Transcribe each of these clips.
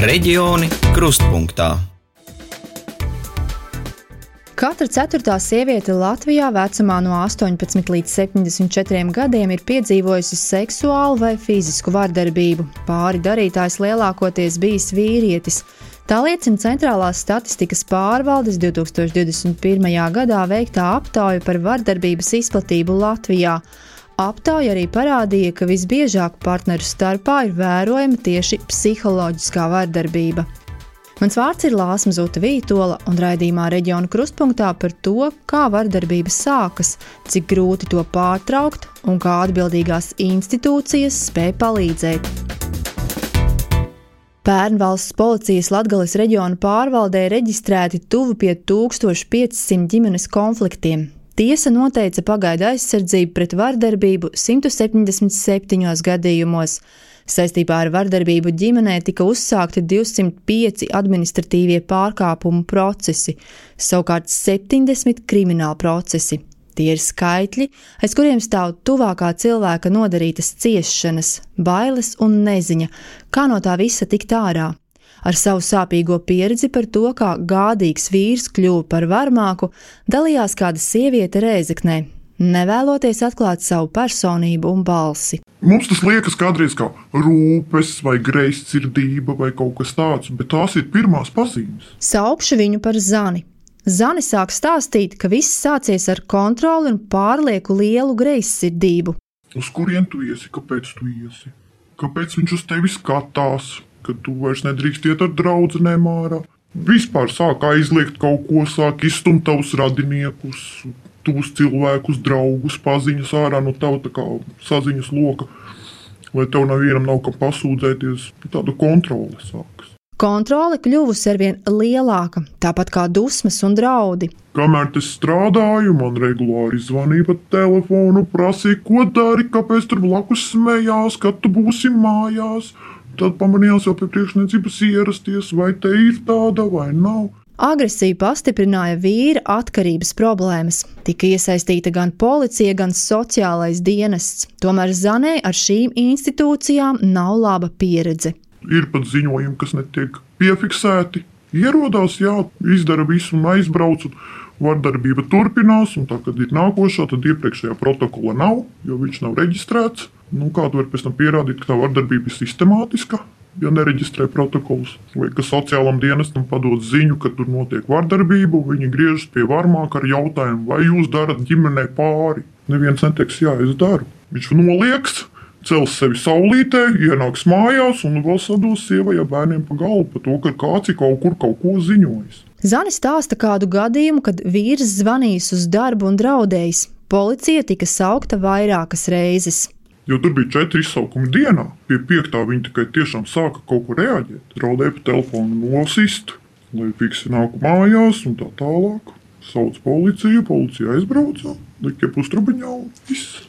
Reģioni krustpunktā. Katra 4. sieviete Latvijā vecumā no 18 līdz 74 gadiem ir piedzīvojusi seksuālu vai fizisku vardarbību. Pāri darītājs lielākoties bijis vīrietis. Tā liecina Centrālās statistikas pārvaldes 2021. gadā veiktā aptauja par vardarbības izplatību Latvijā. Aptauja arī parādīja, ka visbiežāk partneru starpā ir vērojama tieši psiholoģiskā vardarbība. Mans vārds ir Lāsma Zuta Vītola, un raidījumā Reģionu krustpunktā par to, kā vardarbība sākas, cik grūti to pārtraukt un kā atbildīgās institūcijas spēj palīdzēt. Pērn valsts policijas Latgales reģiona pārvaldē reģistrēti tuvu pie 1500 ģimenes konfliktiem. Tiesa noteica pagaidu aizsardzību pret vardarbību 177 gadījumos. Saistībā ar vardarbību ģimenē tika uzsākti 205 administratīvie pārkāpumu procesi, savukārt 70 krimināli procesi. Tie ir skaitļi, aiz kuriem stāv tuvākā cilvēka nodarītas ciešanas, bailes un neziņa, kā no tā visa tikt ārā. Ar savu sāpīgo pieredzi par to, kā gādīgs vīrs kļuva par varmāku, dalījās kāda sieviete Rēzeknē, nevēloties atklāt savu personību un balsi. Mums tas liekas kādreiz kā rūpes vai greizsirdība vai kaut kas tāds, bet tās ir pirmās pazīmes. Saukšu viņu par Zani. Zani sāk stāstīt, ka viss sācies ar kontroli un pārlieku lielu greizsirdību. Uz kurien tu iesi? Kāpēc tu iesi? Kāpēc viņš uz tevi skatās? Kad tu vairs nedrīkst iet ar draudzenēm ārā. Vispār sāk aizliegt kaut ko, sāk izstumt tavus radiniekus, tuvus cilvēkus, draugus, paziņas ārā no tava tā kā saziņas loka, lai tev nevienam nav kam pasūdzēties. Tāda kontrole sākas. Kontrole kļuvusi arvien lielāka, tāpat kā dusmas un draudi. Kamēr es strādāju, man regulāri zvanīja pa telefonu, prasīja, ko dari, kāpēc tur blakus smējās, kad tu būsi mājās. Tad pamanījās jau pie priekšniecības ierasties, vai te ir tāda vai nav. Agresiju pastiprināja vīra atkarības problēmas. Tika iesaistīta gan policija, gan sociālais dienests. Tomēr Zanē ar šīm institūcijām nav laba pieredze. Ir pat ziņojumi, kas netiek piefiksēti. Ierodās, jā, izdara visu un aizbrauc, un vardarbība turpinās, un tā, kad ir nākošā, tad iepriekšējā protokola nav, jo viņš nav reģistrēts. Kā tu vari pēc tam pierādīt, ka tā vardarbība ir sistemātiska, ja nereģistrē protokolus? Vai ka sociālam dienestam padod ziņu, ka tur notiek vardarbība, un viņi griežas pie varmāka ar jautājumu, vai jūs darat ģimenei pāri? Neviens neteiks, jā, es daru. Viņš nolieks, cels sevi saulītē, ienāks mājās un vēl sados sievai ja bērniem pa galvu par to, ka kāds ir kaut kur kaut ko ziņojis. Zani stāsta kādu gadījumu, kad vīrs zvanījis uz darbu un draudējis. Policija tika saukta vairākas reizes. Jo tur bija 4 izsaukumi dienā. Pie 5. viņi tikai tiešām sāka kaut ko reaģēt. Raudēja pa telefonu nosist, lai fiksi nāku mājās un tā tālāk. Sauc policiju, policija aizbrauca, lika pustrubiņā un viss.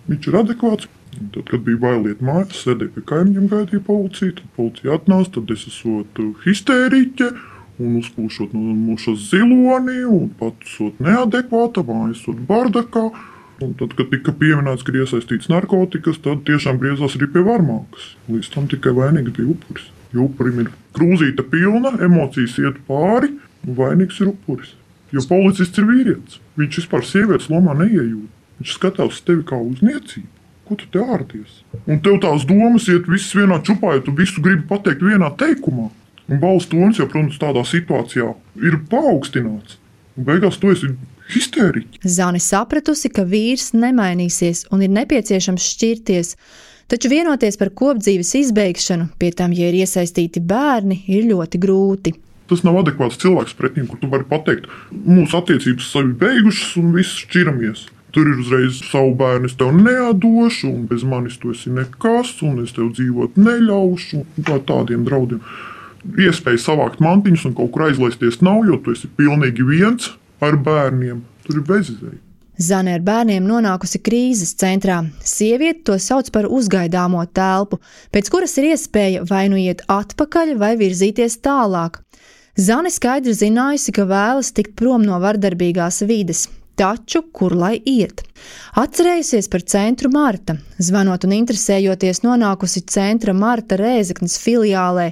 Viņš ir adekvāts. Un tad, kad bija bailiet mājās, sēdēja pie kaimiņiem, gaidīja policiju, tad policija atnāca, tad es esot histēriķe un uzpūšot no mūšas ziloni un pat esot neadekvāta, mājas esot bardakā. Un tad, kad tika pieminēts, ka ir iesaistīts narkotikas, tad tiešām griezās arī pie varmākas. Līdz tam tikai vainīgs bija upuris. Jo upurim ir krūzīte pilna, emocijas iet pāri, un vainīgs ir upuris. Jo policists ir vīrietis. Viņš vispār sievietes lomā neiejūt. Viņš skatās tevi kā uz niecību. Ko tu te ārties? Un tev tās domas iet visas vienā čupā, ja tu visu gribi pateikt vienā teikumā. Un balss tonis jau, protams, tādā situācijā ir paaugstināts. Un beigās tu esi histēriķi. Zani sapratusi, ka vīrs nemainīsies un ir nepieciešams šķirties, taču vienoties par kopdzīves izbeigšanu, pie tam, ja ir iesaistīti bērni, ir ļoti grūti. Tas nav adekvāts cilvēks pret viņu, kur tu vari pateikt, mūsu attiecības savi beigušas un viss šķiramies. Tur ir uzreiz savu bērnu es tev neatdošu, un bez manis tu esi nekas, un es tev dzīvot neļaušu, un tādiem draudiem. Iespēja savākt mantiņus un kaut kur aizlaisties nav, jo tu esi pilnīgi viens ar bērniem. Tur ir bezizēja. Zane ar bērniem nonākusi krīzes centrā. Sieviete to sauc par uzgaidāmo telpu, pēc kuras ir iespēja vai nu iet atpakaļ vai virzīties tālāk. Zane skaidri zinājusi, ka vēlas tikt prom no vardarbīgās vides. Taču, kur lai iet? Atcerējusies par centru Marta, zvanot un interesējoties nonākusi centra Marta Rēzeknes filiālē,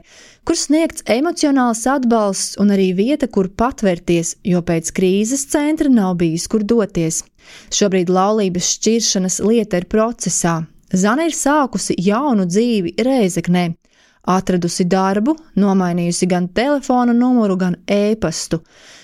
kur sniegts emocionāls atbalsts un arī vieta, kur patvērties, jo pēc krīzes centra nav bijis, kur doties. Šobrīd laulības šķiršanas lieta ir procesā. Zane ir sākusi jaunu dzīvi Rēzeknē. Atradusi darbu, nomainījusi gan telefona numuru, gan e-pastu,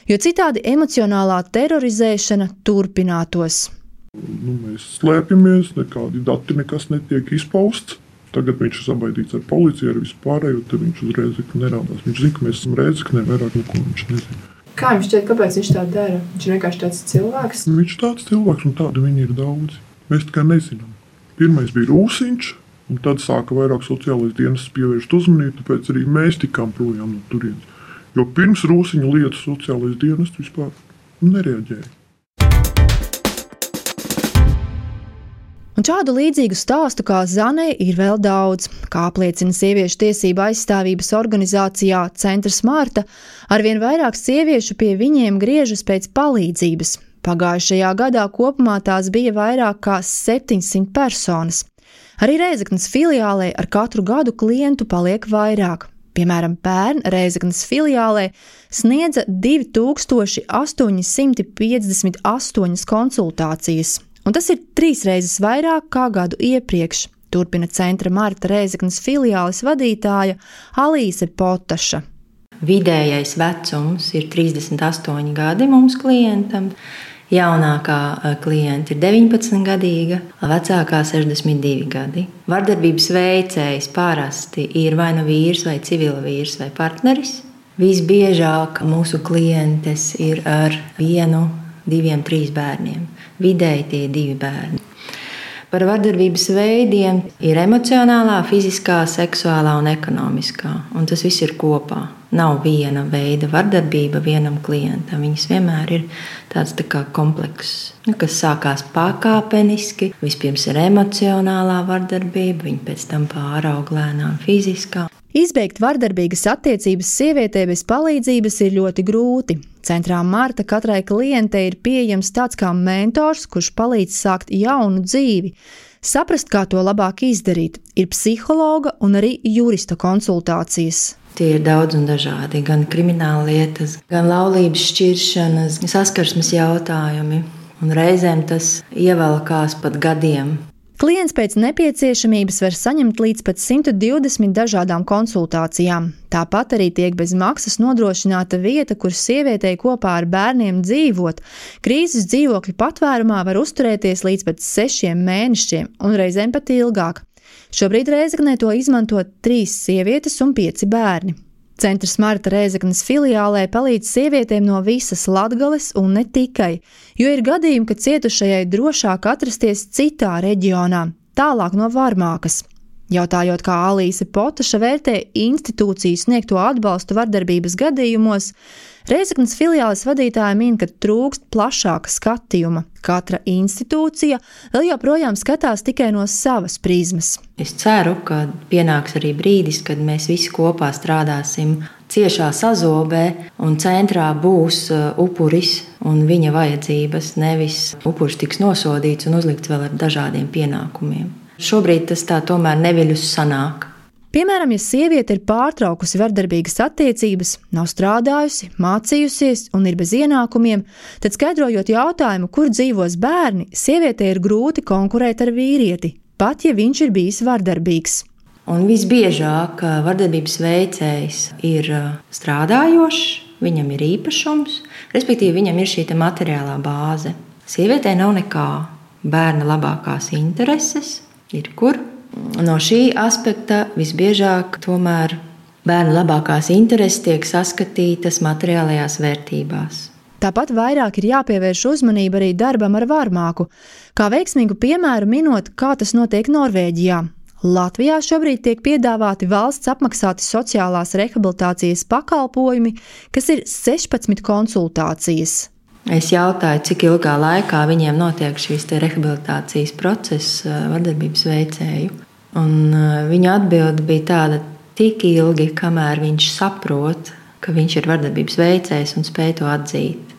jo citādi emocionālā terorizēšana turpinātos. Mēs slēpjamies, nekādi dati nekas netiek izpausts. Tagad viņš ir sabaidīts ar policiju, ar vispārējo, tad viņš uz Rēzekni nerādās. Viņš zina, ka mēs esam Rēzeknē, vairāk neko viņš nezina. Kā jums šķiet, kāpēc viņš tā dara? Viņš ir vienkārši tāds cilvēks? Viņš ir tāds cilvēks, un tādi viņi ir daudzi. Mēs tikai nezinām. Pirmais bija Rūsiņš, un tad sāka vairāk sociālais dienas pievērst uzmanību, tāpēc arī mēs tikām projām no turienes. Jo pirms Rūsiņa lietas sociālais dienas vispār nereaģēja. Un šādu līdzīgu stāstu kā Zanei ir vēl daudz. Kā apliecina sieviešu tiesību aizstāvības organizācijā Centrs Marta, arvien vairāk sieviešu pie viņiem griežas pēc palīdzības. Pagājušajā gadā kopumā tās bija vairāk kā 700 personas. Arī Rēzeknes filiālē ar katru gadu klientu paliek vairāk. Piemēram, pērn Rēzeknes filiālē sniedza 2858 konsultācijas, un tas ir 3 reizes vairāk kā gadu iepriekš, turpina Centra Marta Rēzeknes filiāles vadītāja Alīse Potaša. Vidējais vecums ir 38 gadi mums klientam. Jaunākā klienta ir 19-gadīga, vecākā 62 gadi. Vardarbības veicējs parasti ir vai nu vīrs, vai civila vīrs, vai partneris. Visbiežāk mūsu klientes ir ar 1, 2, 3 bērniem. Vidēji tie ir 2 bērni. Par vardarbības veidiem ir emocionālā, fiziskā, seksuālā un ekonomiskā. Un tas viss ir kopā. Nav viena veida vardarbība vienam klientam. Viņas vienmēr ir tāds tā kā komplekss, kas sākās pakāpeniski. Vispirms ir emocionālā vardarbība, viņa pēc tam pāraug lēnām fiziskā. Izbeigt vardarbīgas attiecības sievietē bez palīdzības ir ļoti grūti. Centrā Marta katrai klientei ir pieejams tāds kā mentors, kurš palīdz sākt jaunu dzīvi. Saprast, kā to labāk izdarīt, ir psihologa un arī jurista konsultācijas. Tie ir daudz un dažādi, gan krimināla lietas, gan laulības šķiršanas, saskarsmes jautājumi. Un reizēm tas ievelkās pat gadiem. Klients pēc nepieciešamības var saņemt līdz pat 120 dažādām konsultācijām. Tāpat arī tiek bez maksas nodrošināta vieta, kur sievietei kopā ar bērniem dzīvot. Krīzes dzīvokļu patvērumā var uzturēties līdz pat 6 mēnešiem un reizēm pat ilgāk. Šobrīd Rēzeknē to izmanto 3 sievietes un 5 bērni. Centrs Marta Rēzeknes filiālē palīdz sievietēm no visas Latgales un ne tikai, jo ir gadījumi, ka cietušajai drošāk atrasties citā reģionā, tālāk no Varmākas. Jautājot, kā Alīse Potaša vērtē institūciju sniegto atbalstu vardarbības gadījumos, Rēzeknes filiāles vadītāja min, ka trūkst plašāka skatījuma. Katra institūcija vēl joprojām skatās tikai no savas prizmas. Es ceru, ka pienāks arī brīdis, kad mēs visi kopā strādāsim ciešā sazobē un centrā būs upuris un viņa vajadzības, nevis upuris tiks nosodīts un uzlikts vēl ar dažādiem pienākumiem. Šobrīd tas tā tomēr neviļus sanāk. Piemēram, ja sieviete ir pārtraukusi vardarbīgas attiecības, nav strādājusi, mācījusies un ir bez ienākumiem, tad skaidrojot jautājumu, kur dzīvos bērni, sievietei ir grūti konkurēt ar vīrieti, pat ja viņš ir bijis vardarbīgs. Un visbiežāk vardarbības veicējs ir strādājošs, viņam ir īpašums, respektīvi viņam ir šī materiālā bāze. Sievietei nav nekā, bērna labākās intereses ir kur. No šī aspekta visbiežāk tomēr bērnu labākās intereses tiek saskatītas materiālajās vērtībās. Tāpat vairāk ir jāpievērš uzmanība arī darbam ar Varmāku, kā veiksmīgu piemēru minot, kā tas notiek Norvēģijā. Latvijā šobrīd tiek piedāvāti valsts apmaksāti sociālās rehabilitācijas pakalpojumi, kas ir 16 konsultācijas. Es jautāju, cik ilgā laikā viņiem notiek šīs rehabilitācijas process vardarbības veicēju. Un viņa atbilde bija tāda, tik ilgi, kamēr viņš saprot, ka viņš ir vardarbības veicējs un spēj to atzīt.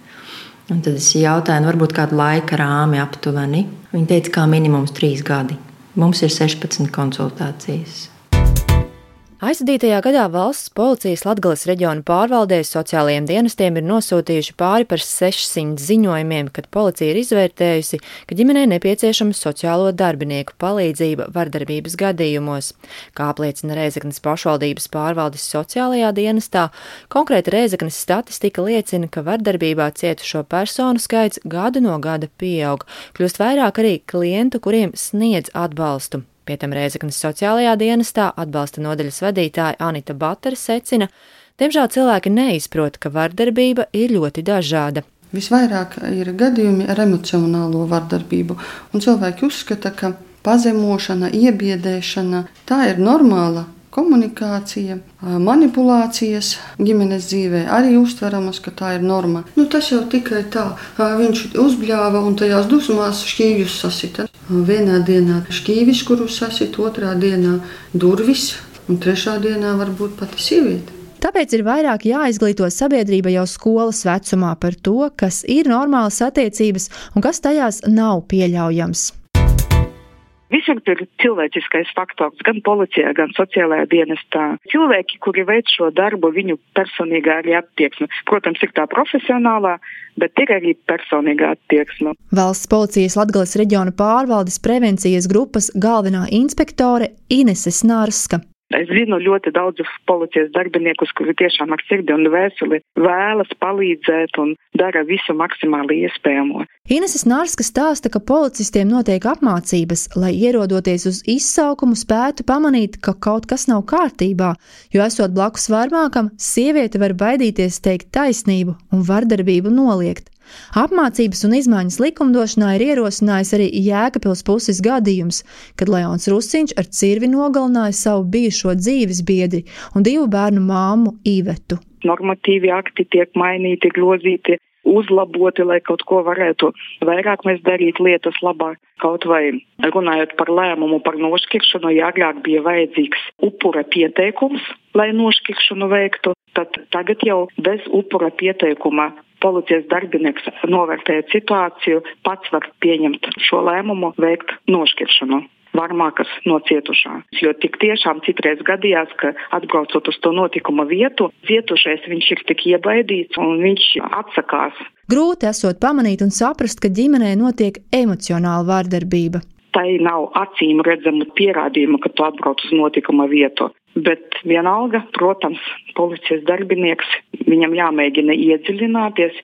Un tad es jautāju, varbūt kādu laika rāmi aptuveni. Viņa teica, kā minimums 3 gadi. Mums ir 16 konsultācijas. Aizvadītajā gadā valsts policijas Latgales reģiona pārvaldē sociālajiem dienestiem ir nosūtījuši pāri par 600 ziņojumiem, kad policija ir izvērtējusi, ka ģimenei nepieciešama sociālo darbinieku palīdzība vardarbības gadījumos. Kā apliecina Rēzeknes pašvaldības pārvaldes sociālajā dienestā, konkrēti Rēzeknes statistika liecina, ka vardarbībā cietušo personu skaits gadu no gada pieaug, kļūst vairāk arī klientu, kuriem sniedz atbalstu. Pie tam Rēzeknes sociālajā dienestā atbalsta nodaļas vadītāja Anita Batere secina, diemžēl cilvēki neizprot, ka vardarbība ir ļoti dažāda. Visvairāk ir gadījumi ar emocionālo vardarbību, un cilvēki uzskata, ka pazemošana, iebiedēšana, tā ir normāla komunikācija, manipulācijas ģimenes dzīvē arī uztveramas, ka tā ir norma. Tas jau tikai tā, viņš uzbļāva un tajās dusmās šķīvjus sasita. Vienā dienā šķīvis, kuru sasita, otrā dienā durvis, un trešā dienā varbūt pati sieviete. Tāpēc ir vairāk jāizglīto sabiedrība jau skolas vecumā par to, kas ir normālas attiecības un kas tajās nav pieļaujams. Visur ir cilvēciskais faktors, gan policijā, gan sociālajā dienestā. Cilvēki, kuri veic šo darbu, viņu personīgā arī attieksme. Protams, ir tā profesionālā, bet ir arī personīgā attieksme. Valsts policijas Latgales reģiona pārvaldes prevencijas grupas galvenā inspektore Inese Snarska. Es zinu ļoti daudzus policijas darbiniekus, kuri tiešām ar sirdi un dvēseli vēlas palīdzēt un dara visu maksimāli iespējamo. Inese Snarska stāsta, ka policistiem notiek apmācības, lai ierodoties uz izsaukumu spētu pamanīt, ka kaut kas nav kārtībā, jo esot blakus varmākam, sieviete var baidīties teikt taisnību un vardarbību noliegt. Apmācības un izmaiņas likumdošanā ir ierosinājis arī Jēkabpils puses gadījums, kad Leons Rusiņš ar cirvi nogalināja savu bijušo dzīves biedri un 2 bērnu māmu Ivetu. Normatīvi akti tiek mainīti, grozīti, uzlaboti, lai kaut ko varētu vairāk mēs darīt lietas labāk. Kaut vai runājot par lēmumu par nošķiršanu, ja agrāk bija vajadzīgs upura pieteikums, lai nošķiršanu veiktu, tad tagad jau bez upura pieteikuma policijas darbinieks novērtējot situāciju, pats var pieņemt šo lēmumu, veikt nošķiršanu varmākas no cietušā. Jo tik tiešām citreiz gadījās, ka atbraucot uz to notikuma vietu, cietušais viņš ir tik iebaidīts un viņš atsakās. Grūti esot pamanīt un saprast, ka ģimenē notiek emocionāla vardarbība. Tai nav acīm redzamu pierādījumu, ka tu atbrauc uz notikuma vietu. Bet vienalga, protams, policijas darbinieks, viņam jāmēģina iedziļināties,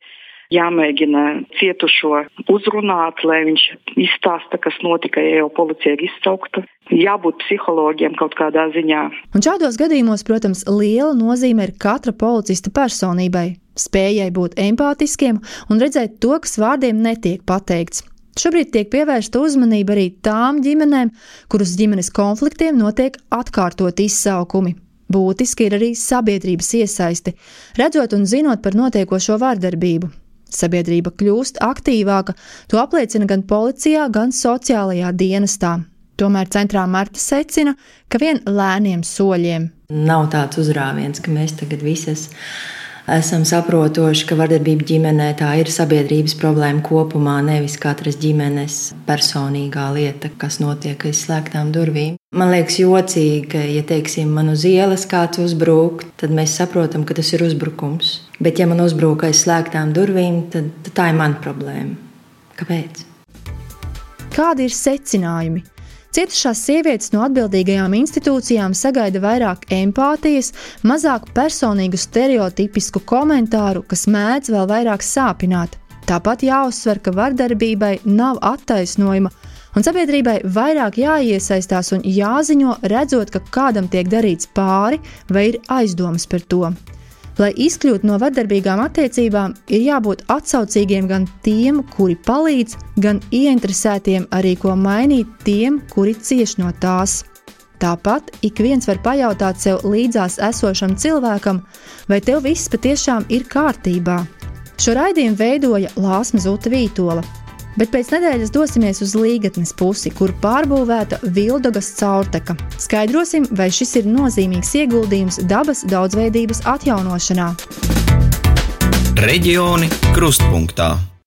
jāmēģina cietušo uzrunāt, lai viņš izstāsta, kas notika, ja jau policija ir izsaukta. Jābūt psihologiem kaut kādā ziņā. Un šādos gadījumos, protams, liela nozīme ir katra policista personībai, spējai būt empātiskiem un redzēt to, kas vārdiem netiek pateikts. Šobrīd tiek pievērsta uzmanība arī tām ģimenēm, kuras ģimenes konfliktiem notiek atkārtot izsaukumi. Būtiski ir arī sabiedrības iesaisti, redzot un zinot par notiekošo vardarbību. Sabiedrība kļūst aktīvāka, to apliecina gan policijā, gan sociālajā dienestā. Tomēr centrā Marta secina, ka vien lēniem soļiem. Nav tāds uzrāviens, ka mēs tagad visas esam saprotoši, ka vardarbība ģimenē tā ir sabiedrības problēma kopumā, nevis katras ģimenes personīgā lieta, kas notiek aiz slēgtām durvīm. Man liekas jocīgi, ka, ja teiksim, man uz ielas kāds uzbruk, tad mēs saprotam, ka tas ir uzbrukums. Bet ja man uzbruk aiz slēgtām durvīm, tad tā ir mana problēma. Kāpēc? Kādi ir secinājumi? Cietušās sievietes no atbildīgajām institūcijām sagaida vairāk empātijas, mazāk personīgu stereotipisku komentāru, kas mēdz vēl vairāk sāpināt. Tāpat jāuzsver, ka vardarbībai nav attaisnojuma, un sabiedrībai vairāk jāiesaistās un jāziņo, redzot, ka kādam tiek darīts pāri vai ir aizdomas par to. Lai izkļūtu no vardarbīgām attiecībām, ir jābūt atsaucīgiem gan tiem, kuri palīdz, gan ieinteresētiem arī ko mainīt tiem, kuri cieš no tās. Tāpat ik viens var pajautāt sev līdzās esošam cilvēkam, vai tev viss patiešām ir kārtībā. Šo raidījumu veidoja Lāsma Zuta Vītola, bet pēc nedēļas dosimies uz Līgatnes pusi, kur pārbūvēta Vildogas caurteka. Skaidrosim, vai šis ir nozīmīgs ieguldījums dabas daudzveidības atjaunošanā. Reģioni krustpunktā.